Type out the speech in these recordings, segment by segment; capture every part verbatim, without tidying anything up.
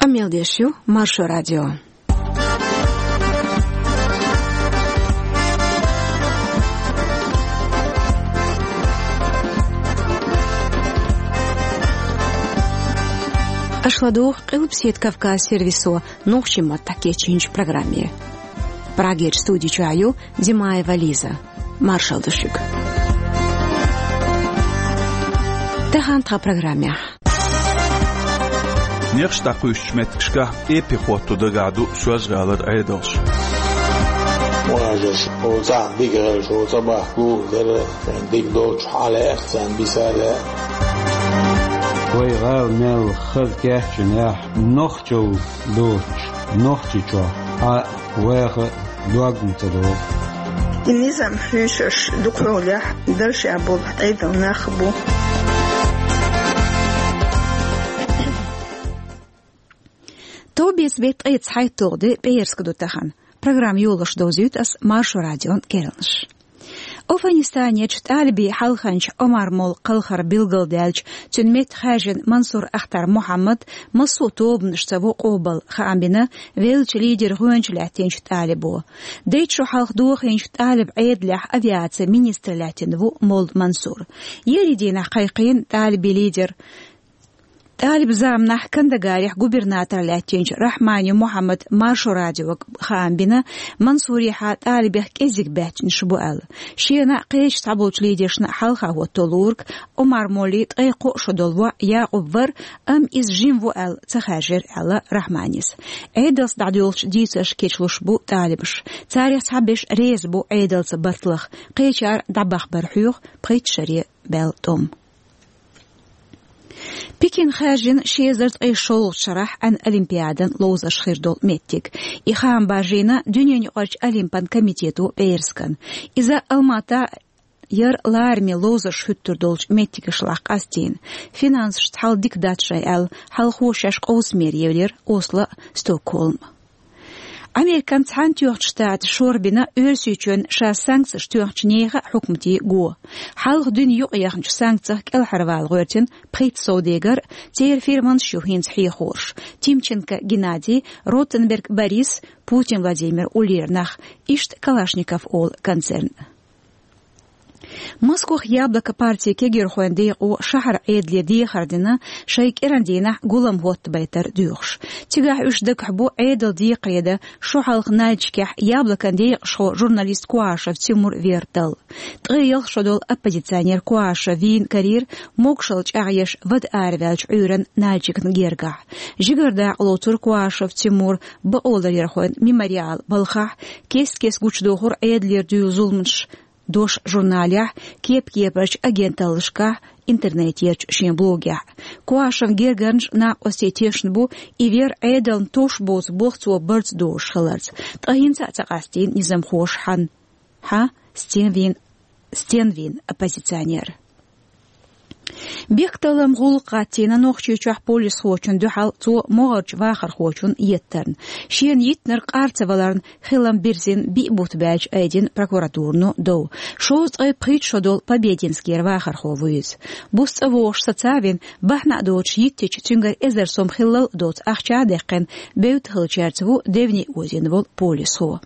Къамел деш ю Маршо радио. Аша ладугӀу Къилбаседа Кавказ сервисо нохчийн маттахь кечйинчу программе. Прагерчу студи чохь ю Димаева Лиза. Маршалла ду шуьга. Тахана тхан программехь. Нехаш дӀакхуьйсучу меттигашкахь эпи хӀотто дагахь ду Соьлжа-ГӀалара Ӏедалш. Ванажаш, оцу дика гӀелаш, оцу бахку, дера, дика доцуш хьалаэхна царна бисале. Вай гӀала мел хаза кечйинехь, нохчалла доцуш, Нохчийчохь Ӏа ваха дог ма ца догӀу. И низам хьуьйсуш дукхахьолехь даржехь болу Ӏедалан нах бу. Товбеца беттан ткъе цхьайтталгӀа де пӀераска ду тахана. Программа йолуш довзуьйту ас Маршо радион керланаш. Афганистанерчу талибийн хьалханчу Омар-моллин кхалхар билгалдаьлча, цуьнан метта хаьржина Мансур Ахтар Мухьаммад массо а тобанашца ву къобал, хаам бина веллачу лидеран гӀоьнча лаьттинчу талибо. Дейтта шо хьалха дохийначу талиб Ӏедалехь авиацин министр лаьттина ву молла Мансур. Ерриг дийнахь кхайкхийна талибийн лидер. Талиб заманахь Кандагарехь губернатор лаьттинчу Рахмани Мухьаммада Маршо радиога хаам бина, Мансурехьа талибех кӀеззиг баьччанаш бу аьлла. Шена а, кхечу цхьаболчу лидершна а хьалха хӀотто луург, Омар-моллин ткъе кхоъ шо долу воӀ Якъуб вара, амма иза жима ву аьлла ца хаьржира аьлла Рахманис. Ӏедалца дӀадоьлхучу дийцаршка кечлуш бу талибаш. Царех цхьаберш реза бу Ӏедалца барт лаха, кхечара дӀабахбар хьоьху пхийтта шаре баьлла тӀом. Пекин хаьржина ши эзар ткъе шолгӀачу шарахь Ӏаьнан олимпиадан ловзарш хир долу меттиг. И хаам баржийна дуьненаюкъарчу олимпан комитето пӀераскан. Иза Алмата яра лараме ловзарш хӀуьттур долчу меттигашлахь къастийна. Финансашца хьал дика дац шайн аьлла, хьалхо шаьш къовсаме евлира Осло а, Стокгольм а. Американ Цхьаьнатоьхначу Штаташа шорбина Оьрсийчоьнна ша санкцеш тоьхначу нехан а хьукматийн го. Хьалха дуьне юкъаяхначу санкцех кӀелхьарвала гӀоьртина пхийтта совдегар, церан фирманаш ю хӀинца хьехорш. Тимченко Геннадий, Ротенберг Борис, Путин Владимир уллера нах, иштта Калашников олу концерн. Москвахь Яблоко партин кегирхойн декъо шахьаран Ӏедале дехар дина, шайн кӀиран дийнахь гулам хӀоттабайтар доьхуш. Цигахь уьш дагахь бу Ӏедалан декхаре дан шо хьалха Нальчикехь Яблокон декъашхо журналист Куашев Тимур вер дала. Ткъе ялх шо долу оппозиционер Куашев вийна карийра могушалла чӀагӀъеш вада араваьллачу Ӏуьйранна Нальчикна гергахь. Жигара дакъа лоцура Куашев Тимура бакъоларъярхойн «Мемориал» балхахь, кест-кеста гучудохура Ӏедалера дуьйла зуламаш. «Дош» журналехь, кеп-кепарчу агенталлашкахь, интернетерчу шен блогехь. Куашевн гергарнаш а, накъостий а тешна бу, и вер Ӏедална товш боцу болх цо барца дозуш хиларца. Ткъа хӀинца а ца къастийна низамхоша хьан, хьан стен вийна, стен вийна оппозиционер. Бехкталламан гӀуллакх гӀаттийна Нохчийчохь полисхочунна дуьхьал цо могӀарчу вахархочунна еттарна. Шена йитинарг къар ца валарна хилам бирзина биъ бутт баьлча айдина прокуратурано дов. Шовзткъе пхийтта шо долу Побединскера вахархо ву иза. Буса цӀа вогӀуш сацавина, бахьана а доцуш йиттича, цуьнгара эзар сом хиллал а доцу ахча а даьккхина, бевдда хиллачаьрца ву девне озийна волу полисхо.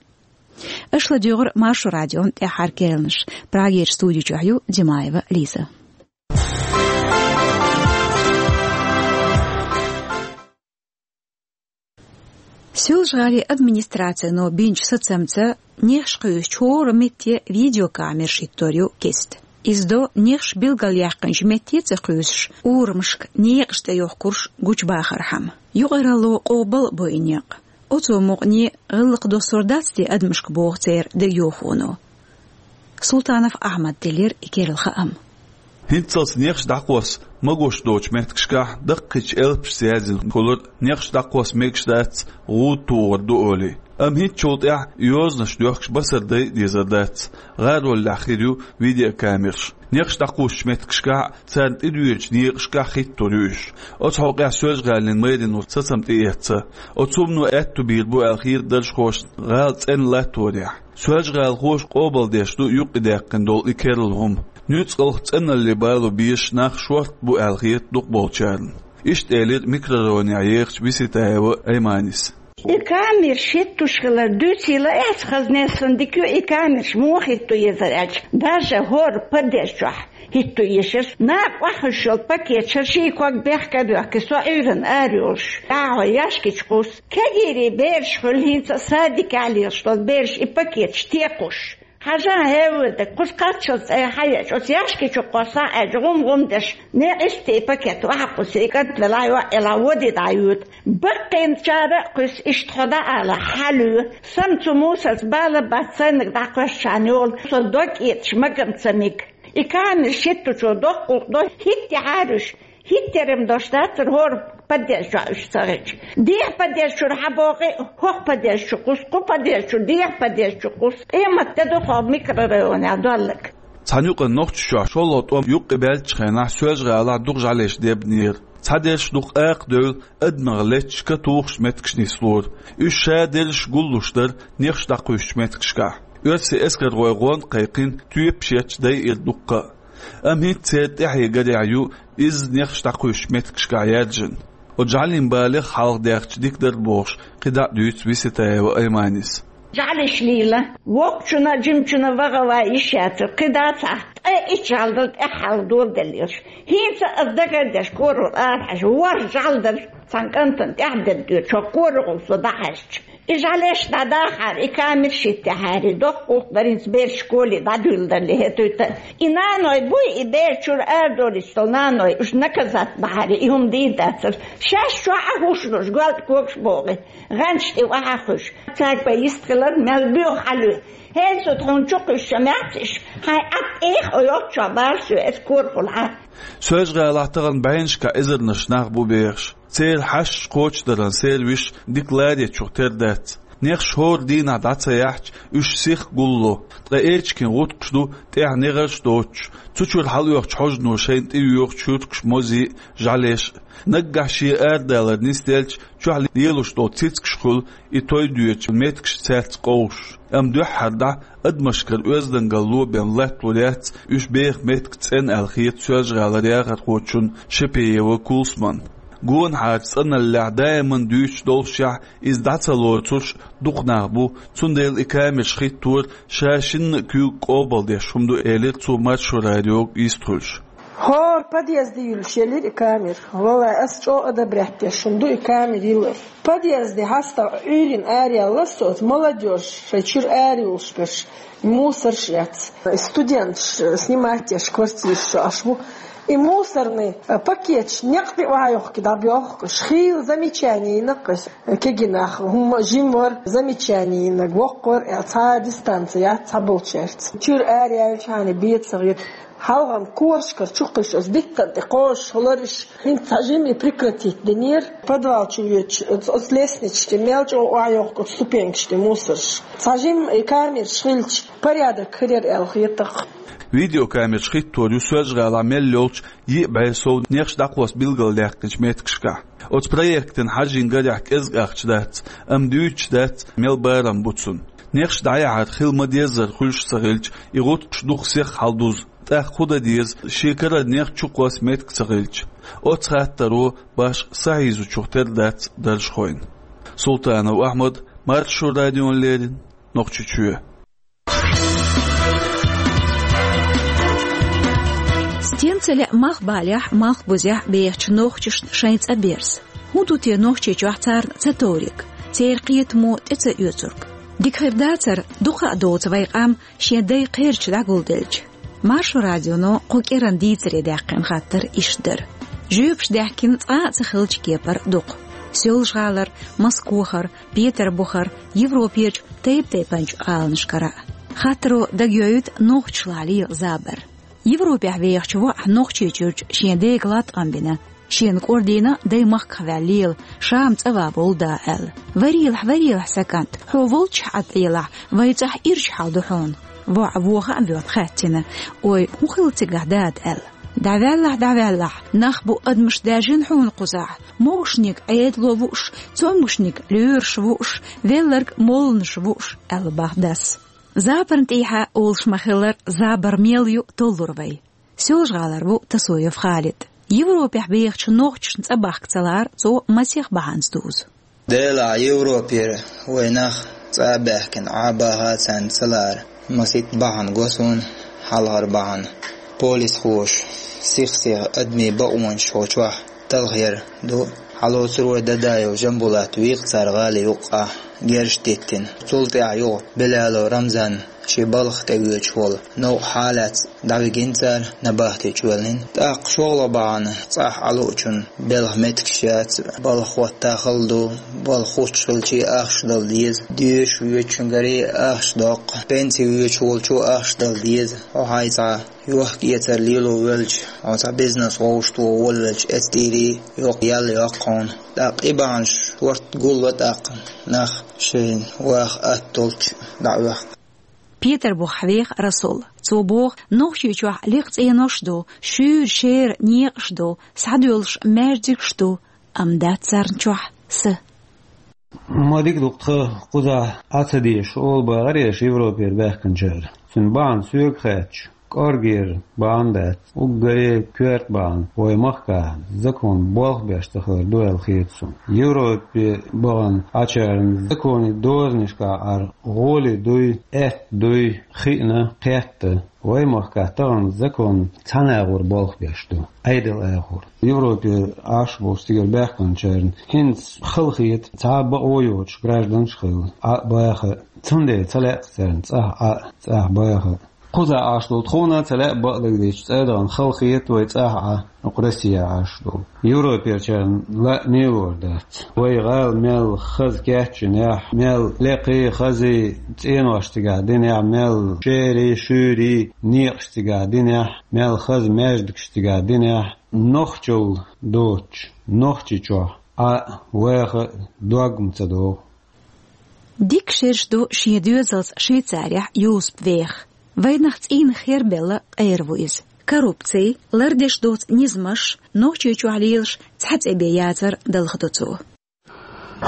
Аша ладуьйгӀура Маршо радион тӀаьххьара керланаш. Прагерчу студи чохь ю Димаева Лиза. Соьлжа-ГӀалин администрацино бинчу сацамца нехаш кхуьйсучу хӀора метте видеокамераш хӀиттор ю кеста. Иза до нехаш билгалъяьккхинчу метте а ца кхуьйсуш, урамашка некъаш тӀе йохкурш гучубахархьама. Юкъаралло къобал а бо и некъ. Оцу мукъане гӀиллакх доссор дац те адамашка, боху церан дегайовхоно. Султанов Ахьмада делира и керла хаам. ХӀинццалц нехаш дӀакхосса магош доцучу меттигашкахь даккхийчу элпашца яздина хуьлура нехаш дӀакхосса мегаш дац, гӀуда тухур ду олий. Амма хӀинцачул тӀаьхьа и йозанаш доьхкуш басар дай а дезар дац, гӀароллехь хир ю видеокамераш. Нехаш дӀакхуссучу меттигашкахь а, царна тӀедоьдучу некъашкахь а хӀиттор ю уьш. Оцу хьокъехь Соьлжа-ГӀалин мэрино сацам тӀеэцна. Оцу хӀумано аьтто бийр бу аьлла хета даржхошна гӀала цӀена латторехь. Соьлжа-гӀалахоша къобалдеш ду юккъе даьккхина долу и керла хӀума. Нуьцкъалх цӀеналле бало безаш нах шорта бу аьлла хета дукхахболчарна. Иштта элира микрорайонехь ехачу Виситаева Айманис. И камераш хӀиттуш хилар дуьйцийла, эцхаза нессан дика ю, и камераш муха хӀитто езар аьлча, даже хӀора подъезд чохь хӀитто езаш. Накха охьахуьйсуш йолу пакеташ шайн ког бехк а боьхкий, со Ӏуьйранна ара йолуш, дӀахьо яьшкичу кхуссу. Кегийрийн бераш хуьлу хӀинца а садикехь лелаш долу бераш и пакеташ текхуш. Хьажа, хӀевве дерг, кхуза кхаччалц цӀе хьаеача, оцу яьшки чу кхосса аьлча, гӀум-гӀум деш, некъ истий пакет охьакхуссий, и кӀант велахь, йоӀ елахь, води дӀайоьду. Баккхийчара а кхуьссу, иштта хьо дӀаала, хьалуьйла. Сан цу мусарца бала бац, сайниг дӀакхоьссачарна йолу, со дог кӀеташ магам ца мега. И камераш хӀиттучо доккхух до, хӀиттехьара уьш. ХӀиттарам дош дацара хӀора подъезд чохь уьш ца хилча. Дехьа подъезд чуьра хьабогӀий, хӀокху подъезд чу кхуссу, кху подъезд чуьра дехьа подъезд чу кхуссу. Къемат де ду хӀокху микрорайонехь долларг. Цхьана юкъана Нохчийчохь шолгӀа тӀом юккъе баьллачу хенахь соьлжа-гӀалахь дукха жӀалеш дебнера. Цхьадерш дукха акха девлла, адамах летташ катухуш меттигаш нислора. Уьш шадерриш гуллуш дара нехаш дӀакхуьйсучу меттигашкахь. Оьрсийн эскархой гӀонда кхайкхина тоьпаш етташ дайира дуккха а. Амма хӀинца церан тӀаьхье гарехь ю изза нехаш дӀакхуьйсучу меттигашкахь яьржина. Оцу жӀалийн балех хьалха даьхча дика дара бохуш, кхидӀа а дуьйцу Виситаева Айманис. ЖӀалеш лийла, воккхачунна а, жимачунна а ваха а ван йиш яцара, кхидӀа а цхьа ткъе итт жӀаьла дала тӀаьххьара доладелла йолуш. ХӀинца а аса дагардеш, корахула арахьаьжча, ворхӀ жӀаьла дара цхьана кӀантана тӀаьхьа дерг доьдуш, хӀокху корахула со дӀахьаьжча. И жӀалеш дӀадахьара, и камераш хӀиттехьара, доккхух дара хӀинца бераш школе дӀадуьйлла далле хӀетуьйту. И наной буй, и бер чуьра арадолуьйтуш долу наной, уьш наказать бахьара, и хӀума дийр дацара. Шаьш чохь а хӀуш луш, гоьлда когаш богӀий, гӀанташ тӀе охьахуьйш. Цаьрга бен йист хилар, мел боьха хьалуьй. ХӀинца тхуна чу кхуьссуш ма яц уьш, хьайн Ӏад тӀех а йолччохь бара соь эца корахула хьан. Соьлжа-ГӀалахь тахана бӀеннашкахь эзарнаш нах бу бехаш. Церан хьашташ кхочушдаран сервисаш дика ларъечух тера дац. Нехаш хӀора дийнахь дӀа ца яхьча, уьш сиха гулло. Ткъа эчиган гӀутакхаш ду, тӀехь негӀарш доцуш. Цу чуьра хьалаоьхучу хьожано шайна тӀеоьхучу хӀуьркаш, мозий а, жӀалеш а. Наггахь шен арадалар нисделча, чохь лелош долу цицкаш хуьлу и той доьдучу меттигаш цаьрца къовсуш. Амма дуьххьара дӀа адамашкара оьздангалло бен латталур яц уьш беха меттиг цӀена аьлла хета Соьлжа-ГӀалара яхархочунна Шапиева Кулсумна. Гонахьара цӀаналлехь даиман дуьйцуш доллушехь, иза дӀа ца лоцурш дукха нах бу, цундела и камераш хӀиттор ша шинна а куьйга къобалдеш хӀума ду, элира цо Маршо радиога йистхуьлуш. ХӀора подъезде юьллуш елира и камера. Валлай, ас чӀогӀа одобрять деш хӀума ду и камера йиллар. Подъезде хьастагӀа Ӏуьйранна араяьлла соьца, молодёжь шайн чуьра арайолуш берш, мусорш эц. Студенташ снимать деш квартираш чу Ӏаш бу. И мусорный пакеташ некъ тӀе охьайохкий дӀабоьхкуш. Хийла замечание йина кхуьнца. Кегий нах, хӀума жима вара, замечание йинарг воккха вара, э, цхьа дистанци яц цхьаболчаьрца. Чуьра араяьллачхьана бен ца хета. Хьалха корашкара чу кхуьссуш, оцу диттан тӀе кхозуш хиларш, хӀинца цхьа жимма и прекратить динера. Подвал чу воьдуш, оцу, оцу лестницаш тӀе мел чӀогӀа охьайохку, оцу ступенькаш тӀе мусорш. Цхьа жимма и камераш хилча, порядок хир яра аьлла хета-кх. Видеокамераш хӀиттор ю Соьлжа-ГӀалахь мел йолчу йиъ бӀе сов нехаш дӀакхосса билгалдаьккхинчу меттигашкахь. Оцу проектана хьажийна гарехь кӀезиг ахча дац, амма дуьйцуш дац, мел барам бу цунна. Нехаш дӀаяхьар хила ма-деззара хуьлуш ца хилча, и гӀутакхаш дукха сиха хьалдузу, тӀаккха хӀун дан деза, шен карара нех чукхосса меттиг ца хилча. Оцу хаттаро башха сахьийзучух тера дац даржхойн. Султанов Ахьмад, Маршо радиона леррина, Нохчийчоь. Стен ца лаьа малхбалехь, малхбузехь бехачу нохчашна шайн цӀа берза? ХӀун ду те Нохчийчохь царна ца товриг, церан кхетамо тӀе ца оьцург? Дика хир дацара, дукха а доцу вай къам шен дай кхерча дӀагулделча. Маршо радионо кху кӀиран дийцаре даьккхина хаттар иштта дара. Жоьпаш даьхкина цкъа а ца хиллачу кепара дукха. Соьлжа-ГӀалара, Москвахара, Петарбухара, Европерчу тайп-тайпанчу гӀаланашкара а. Хаттаро дагайоуьйту нохчашлахь лела забар. Европехь вехачу воӀа Нохчийчуьрчу шен дега латкъам бина. Шена кӀордийна дай махках ваьлла лела, Шама цӀа ван волу да аьлла. Варелахь, варелахь, сан кӀант, хьо волччохь Ӏад Ӏелахь, вайн цӀахь ирча хьал ду хьуна. ВоӀа воха а воьдна хаьттина: «Ой, хӀун хилла цигахь, дада?» — аьлла. «ДӀаваьллахь, дӀаваьллахь, нах бу адамаш даьржина хьуна кхузахь, могушниг Ӏедало вууш, цомгушниг лоьраша вууш, велларг молланаша вууш», — аьлла бах дас. Забарна тӀехьа олуш ма-хиллара, забар мел ю толлур вай. Соьлжа-ГӀалара ву Тасоев Халид. Европехь бехачу нохчашна цӀа бахка ца лаар цо масех бахьанца дузу. Делахь Европера вай нах цӀа а баьхкина Ӏа а баха царна ца лаар масийтта бахьана го суна, хьалхара бахьана. Полисхоша сих-сиха адамийн бакъонаш хьо чохь талхаяр ду. Хьалоцур вай Дадаев Жамбулат вийкъа цара гӀали юккъахь герзаш диттина. Цул тӀаьхьа юха Белялов Рамзан шен балха тӀе воьдуш волу новкъа хьалаца дӀавигина цара, набахти чу ваьллина. ТӀаккха шолгӀа бахьана цӀахь Ӏа луучун белхан меттигаш яц, балха хӀотта хала ду, балха хуттуш хилча ахча дала деза, доьшуш воьдучуьнгаре ахча доккху, пенси воьдуш волчо ахча дала деза, хьо хьайн цхьа йохка-эцар лело велча, хьо цхьа бизнес вовшахтоха волавелча, эцтӀийра йоккха ял йоккху хьуна. ТӀаккха и бахьанаш ворхӀ гулло тӀаккха нах шайна ваха атта долчу дӀаоьху. Петарбухахь веха Расул. Цо боху, Нохчийчохь лекха цӀенош а ду, шуьйра шера некъаш а ду, схьадоьллуш маьждигаш а ду, амма дац царна чохь са. Ма дика ду-кх тхан кхузахь Ӏа ца дезаш олу бахара аш Европера баьхкинчара. Цуьнан бахьана соьга хаьттича, кӀоргера бахьана дац, уггаре коьрта бахьана вай махкахь закон болх беш ца хилар ду аьлла хета суна. Европе бахана Ӏачарна законе дозанашкахь Ӏар гӀоли дуй, аьтта дуй, хиъна, кхетта. Вай махкахь тахана закон цхьана агӀор болх беш ду, Ӏедал агӀор. Европе Ӏаш болчу цигара баьхкинчарна хӀинца хала хета цхьа а бакъо йоцуш гражданаш а хилла, Ӏа а баха а. Цундела ца лаьа царна цӀахь Ӏа а, цӀахь баха а. Кхузахь Ӏаш долу тхуна а ца лаьа бакъдерг дийцича, цӀа а дахана хала хета вай цӀахь Ӏа, окху Россехь Ӏаш долу. Европерчарна лаьа лелор дац. Вай гӀала мел хаза кечйинехь, мел лекхий, хазий цӀенош цигахь динехь, мел шерий, шуьйрий некъаш цигахь динехь, мел хаза маьждигаш цигахь динехь, нохчалла доцуш, Нохчийчохь Ӏа а, ваха а дог-м ца догӀу. Дика шераш ду шен доьзалца Швейцарехь Юсуп веха. Вайнах цӀийнах хербелла къера ву иза. Коррупци, лардеш доцу низамаш, Нохчийчохь лелаш цхьа цӀе бен яцар далхадо цо.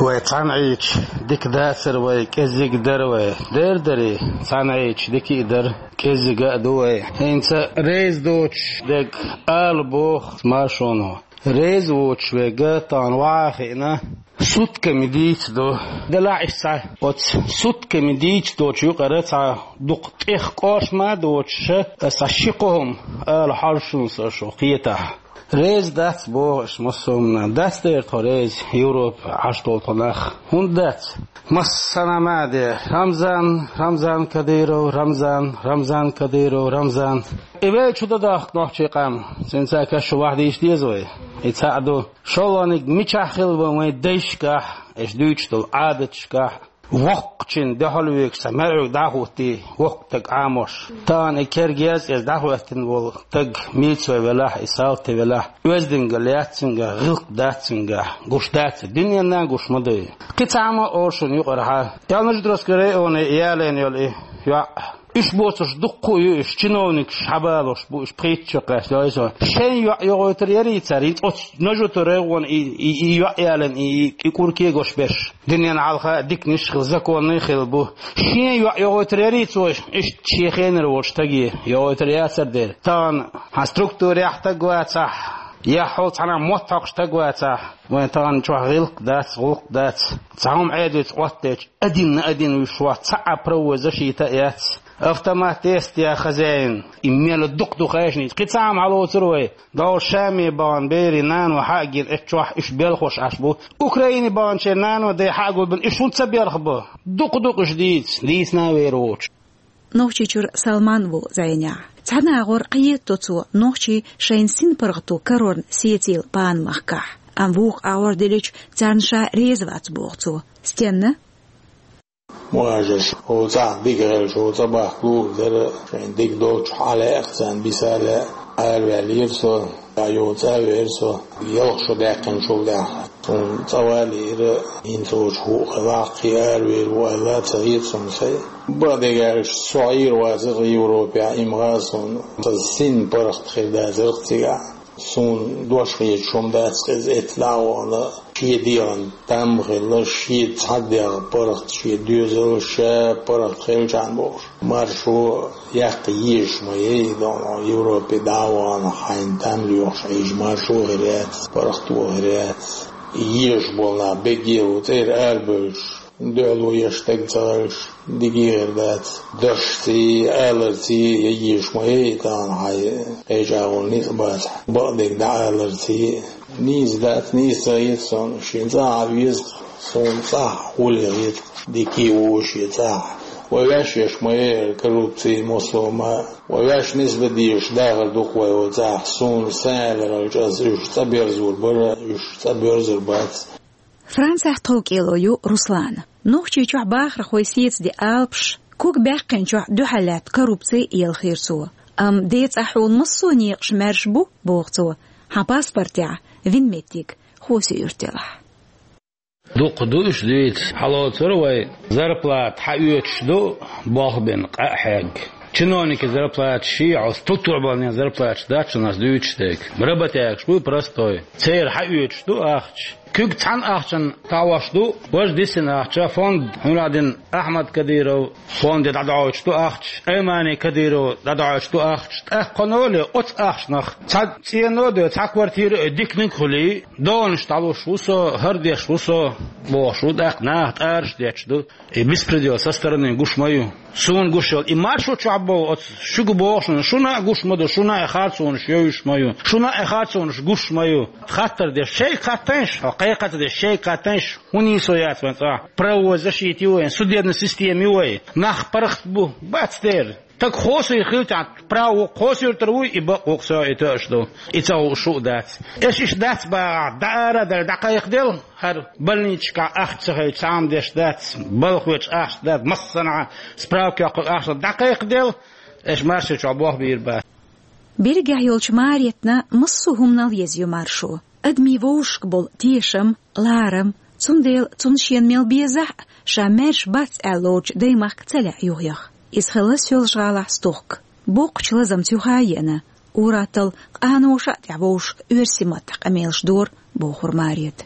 Вай цхьаьна Ӏийча дика дацара вай, кӀеззиг дара вай. Дер дарий, цхьаьна Ӏийча дика а дара, кӀеззига а ду вай. ХӀинца реза доцуш дерг ала боху маршоно. Реза воцуш верг тахана ваха а хиъна, сутками дийца ду. Делахь иштта цхьа оцу сутками дийца доцу юкъара цхьа дукха тӀех кӀоршма а доцуша, аса ши кхо хӀума ала хьожуш ву со шу кхетахь. Реза дац боху аш массо а хӀуманна. Дац дера тхо реза, Европа Ӏаш долу тхо нах. ХӀунда дац? Массанхьа ма а де: Рамзан, Рамзан Кадыров, Рамзан, Рамзан Кадыров, Рамзан. И вай чу дан дахка нохчий къам, цуьнца каш шу вахдийша деза вай. И цхьаъ ду. ШолгӀаниг мичахь хилла вайн дайшкахь, аш дуьйцуш долу Ӏадаташкахь, воккхачун дуьхьал вуьгуш цхьа маьрӀуьг дӀахӀуттий, воккха стаг Ӏамош. Тахана и кергез иза дӀахӀоьттина волу стаг милицо велахь, и салти велахь, оьздангалла яц цуьнгахь, гӀиллакх дац цуьнгахь, гуш дац, дуьненна гуш ма дуй. Кхин цхьа хӀума а олу шуна юкъарахьа. Ялнаждроска районе ялийна йолу и йоӀ. Уьш боцурш дуккха а ю, уьш чиновникаш хьабалош бу, уьш пхийтта чу кхаьчна, йой со. Шайн йоӀ йогӀуьйтур ярий цара, хӀинца оцу Нажу-Тур районе и, и, и йоӀ ялийна, и, и, и кӀур кегош берш. Дуьненна хьалха а диканаш хилла, законный хилла бу. Шен йоӀ йогӀуьйтур ярий цо, иштта шен хенара волчу стаге йогӀуьйтур яцар дера. Тахана хьан структурехь стаг вацахь, я хьол цхьана мотт хьокхуш стаг вацахь, вайн тахана чохь гӀиллакх дац, гӀуллакх дац. Цхьа хӀума Ӏедалца Ӏоттаечу, один на один вуьш вац, цхьа а правовой защита а яц. Автомат тестя хозяин, и мел дукха ду хайшнийца. Кхин цхьа хӀума хьалоцур вай. Дала Шаме бахана берийн нано хьа а гина, эцу чохь уьш белхош Ӏаш бу. Украине баханчеран нано дей хьа а гулбина, уьш хӀунда ца белха бу? Дукха-дукха уьш дийца, дийцина а вер воцуш. Нохчийчуьра Салман ву зӀенехь. Цхьана агӀор кхетадо цо нохчий шайна синпаргӀато карорна сецийла бахана махкахь. Амма вукху агӀор делича, царна ша реза вац боху цо. Стенна? Муажаш, хӀо цӀахь дика гӀелча, хӀо цӀа бахка лур дара, шайн дика долчу хьалаэкъ царна биса а лаьа, араваьллера со, я йоцу а вера со, ялх шо даьккхинчул тӀаьхьа. Суна цӀа валийра, хӀинца оцу хӀуъа хилахь кхин аравер ву аьлла, ца хета суна сай. Бакъдерг аьлча, со Ӏийр вацара Европехь, имгӀа а суна, сан син паргӀат хир дацара цигахь. Суна дош хеташ хӀума дац хеза эцна дӀа а вахана, шен дегӀан там хилла, шен цхьа дегӀ паргӀат, шен доьзал, ша паргӀат хилча бохуш. Маршо яккха езаш ма яй, дона Европе дӀа а вахана, хьайна там лоьхуш Ӏийжа маршо хир яц, паргӀато хир яц. Езаш болу нах бегге ву цӀера арабевллаш, дуьхьало еш стаг ца хилча, дика хир дац. Дашций, аларций, я езаш ма яй тахана хьайн кхечӀагӀо ницкъ бацахь, бакъдерг дӀааларций. Нийса дац, нийса ца хета суна, шен цӀахь а веза-кх, суна цӀахь а гӀоле хета-кх, дика а ву шен цӀахь. Вай ваьш еш ма яй коррупци, мосо ма. Вай ваьш нисбан дезаш дахар ду-кх вай оцу цӀахь, суна сан аьлларалча аса уьш цӀа берзор бара, уьш цӀа боьрзур бац. Францехь тховкӀело ю Руслана. Нохчийчохь бахархой сецаде алапаш, куг баьккхинчохь дуьхьал лаьтта коррупци елхийра цо. Амма ден цӀахь хьуна массо а некъаш маьрша бу, боху цо, хьан паспортехь вина меттиг Хьосе-Юьрта елахь. Дукха ду уьш дийца, хьалоцура вай, зарплата хьаоьцуш ду, болх бина къа а хьегна. Чиновникийн зарплаташ ший хьо, структурабалнийн зарплаташ дац шуна ас дуьйцуш дерг. Работягаш бу простой. Церан хьаоьцуш ду ахча. Куьг цхьана ахчанна товш ду, важа дисина ахча, фонд хьуна дина Ахьмад Кадыров, фонде дӀадоуьйтуш ду ахча, Аймани Кадыров дӀадоуьйтуш ду ахча, тӀаккха кхуьнан оцу ахчанах цхьа цӀено а, цхьа квартира а диканиг а хуьлий, донаш дӀалуш ву со, хӀара деш ву со, бохуш ву, тӀаккха наха тӀараш детташ ду. И беспредел со стороны гуш ма ю. Суна гуш йолу и маршо чохь боху оцу шуьга боху шуна, шуна а гуш ма ду, шуна а харцонаш йовзуш ма ю, шуна а харцонаш гуш ма ю. Хаттар деш шайга хаттайша, хьо кхайкхаца деш шайга хаттайша, хӀун нийсо яц вайн цӀахь? Правовой защита ю вайн, судебная система ю вайн, нах паргӀат бу, бац дера. Стаг Хьосе-Юьрта хилча, право Хьосе-Юьртара вуй, и бакъ ву-кх со и тоьаш ду, и ца хууш шу а дац. Аша иштта дац бахахь, дӀаара а даьлла, дӀакхайкхаделла. ХӀара больничкахь ахча ца хилча, цхьа а деш дац, балхочу ахча дац, массанхьа справка йоккхург ахча дӀакхайкхаделла, аша маршо чохь болх бийр бац. Берригехь йолчу Маретна массо а хӀуманал еза ю маршо. Адамийн вовшашка болу тешам, ларам, цундела цунна шена мел безахь а, ша маьрша бац аьлла лоцучу даймахка ца лаьа юхаяха. Иза хилла Соьлжа-ГӀалахь стохка. Боккхачу лазамца юха а еана, ур-атталла къаноша а тӀехь вовшашка оьрсийн маттахь къамелаш дора, бохура Марета.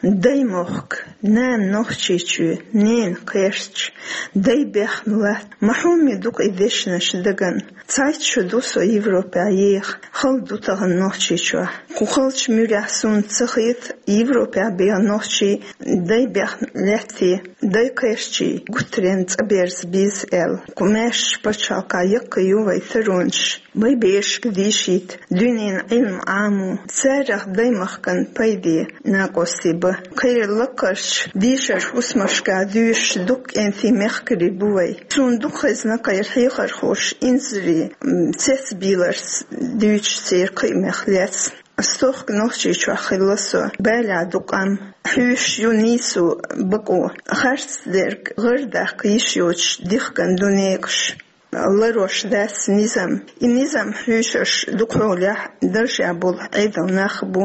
Даймохк, нана Нохчийчоь, ненан кхерч, дай бехна латта, ма хьоме ду-кх и дешнаш дагана. Цхьайтта шо ду со Европехь еха, хала ду тахана Нохчийчохь. Кху халчу муьрехь суна ца хета Европехь беха нохчий дай бехна лаьтта, дай кхерчий гуттаренна цӀа берза беза аьлла. Кху маьршачу пачхьалкхехь яккхий ю вайн таронаш. Вайн берашка дийшийта, дуьненан Ӏилма Ӏамо, царах даймахкана пайде накъостий бан. Кхеран лакхарчу дийшарчу хӀусамашкахь дуьйцуш дукха кӀентий мехкарий бу вайн. Суна дукха хезна кхеран хьехархоша инзаре, м, цецбийларца дуьйцуш церан кхиамех лаьцна. Стохка Нохчийчохь хилла со, балехь ду къам. Хьуьйсуш ю нийсо, бакъо. Харц дерг гӀардаккха йиш йоцуш дихкина ду некъаш. Ларош дац низам. И низам хьуьйсуш ду кхолехь даржехь болу Ӏедалан нах бу.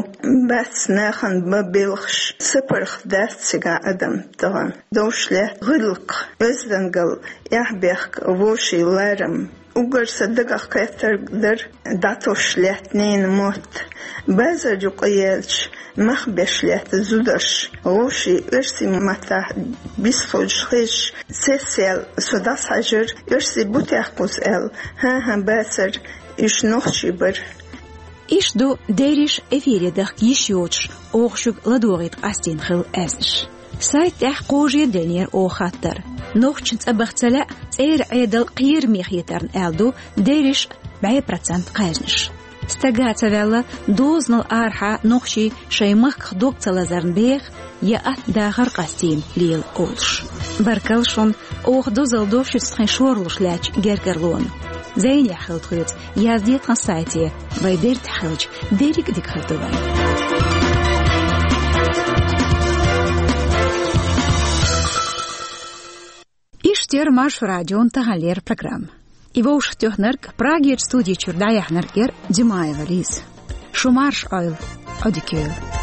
Бац нахана бан белхаш, сапаргӀат дац цигахь адам тахана. Довш лаьтта гӀиллакх, оьздангалла, эхь-бехк, вовшийн ларам. Уггар сан дагах кхеттарг дара, дӀатосуш лаьтта ненан мотт. Базар юкъа яьлча, мах беш лаьтта зударш, вовшийн оьрсийн маттахь бисхуьлуш хезаш, цецъяьлла со дӀасахьаьжира, оьрсий бу техкъа кхуза аьлла. ХӀан-хӀа, бацара, уьш нохчий бара. Иштта ду, дерриш эфире дахка йиш йоцуш, оха шуьга ладогӀийта къастийна хилла аьзнаш. Сайта тӀехь кхожа а деллера оха хаттар. Нохчашна цӀа баха ца лаьа, церан Ӏедал кхераме хетарна аьлла ду дерриш бӀе процент кхаьжнаш. Стага ца ваьлла, дозанал арахьа нохчий шайн махках дог ца лазарна беха я атта дахар къастийна лела олуш. Баркалла шуна, оха дозалла до шуьца тхайн шорлуш лаьттачу гергарлонна. Зайнехь хила тхоьца, яздо тхан сайте, вайн дерригаш хилча, дерриг а дика хир ду вайн. Иштта яра Маршо радион таханлера программа. И вовшахтоьхнарг, Прагерчу студи чуьра дӀаяьхьнарг яра Димаева Лиза. Шу марша Ӏойла, Ӏодика йойла.